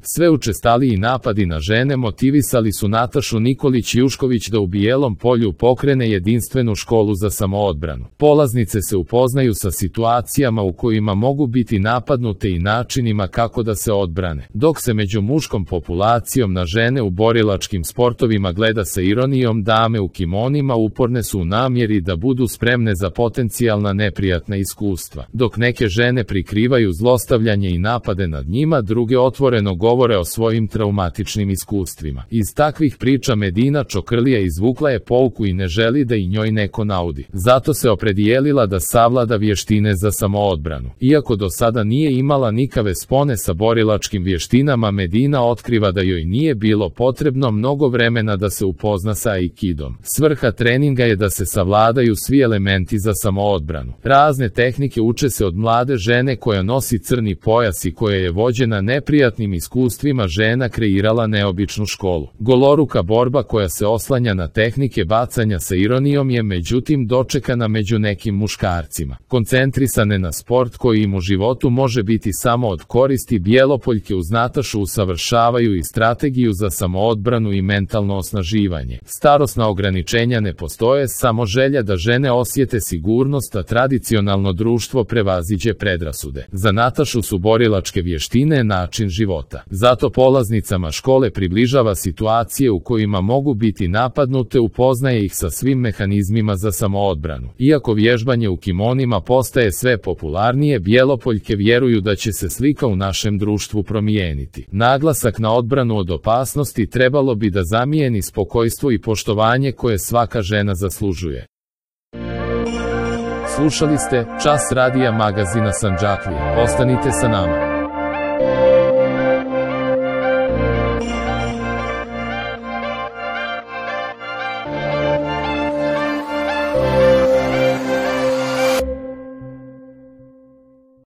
Sve učestaliji napadi na žene motivisali su Natašu Nikolić Jušković da u Bijelom Polju pokrene jedinstvenu školu za samoodbranu. Polaznice se upoznaju sa situacijama u kojima mogu biti napadnute i načinima kako da se odbrane. Dok se među muškom populacijom na žene u borilačkim sportovima gleda sa ironijom, dame u kimonima uporne su u namjeri da budu spremne za potencijalna neprijatna iskustva. Dok neke žene prikrivaju zlostavljanje i napade nad njima, druge otvoreno govore o svojim traumatičnim iskustvima. Iz takvih priča Medina Čokrlija izvukla je pouku i ne želi da i njoj neko naudi. Zato se opredijelila da savlada vještine za samoodbranu. Iako do sada nije imala nikave spone sa borilačkim vještinama, Medina otkriva da joj nije bilo potrebno mnogo vremena da se upozna sa aikidom. Svrha treninga je da se savladaju svi elementi za samoodbranu. Razne tehnike uče se od mlade žene koja nosi crni pojas i koja je vođena neprijatnim iskustvima žena kreirala neobičnu školu. Goloruka borba koja se oslanja na tehnike bacanja sa ironijom je međutim dočekana među nekim muškarcima. Koncentrisane na sport koji im u životu može biti samo od koristi, Bjelopoljke uz Natašu usavršavaju i strategiju za samoodbranu i mentalno osnaživanje. Starosna ograničenja ne postoje, samo želja da žene osjete sigurnost, a tradicionalno društvo prevaziđe predrasude. Za Natašu su borilačke vještine način života. Zato polaznicama škole približava situacije u kojima mogu biti napadnute, upoznaje ih sa svim mehanizmima za samoodbranu. Iako vježbanje u kimonima postaje sve popularnije, Bjelopoljke vjeruju da će se slika u našem društvu promijeniti. Naglasak na odbranu od opasnosti trebalo bi da zamijeni spokojstvo i poštovanje koje svaka žena zaslužuje. Slušali ste Čas radija magazina Sandžaklije. Ostanite sa nama.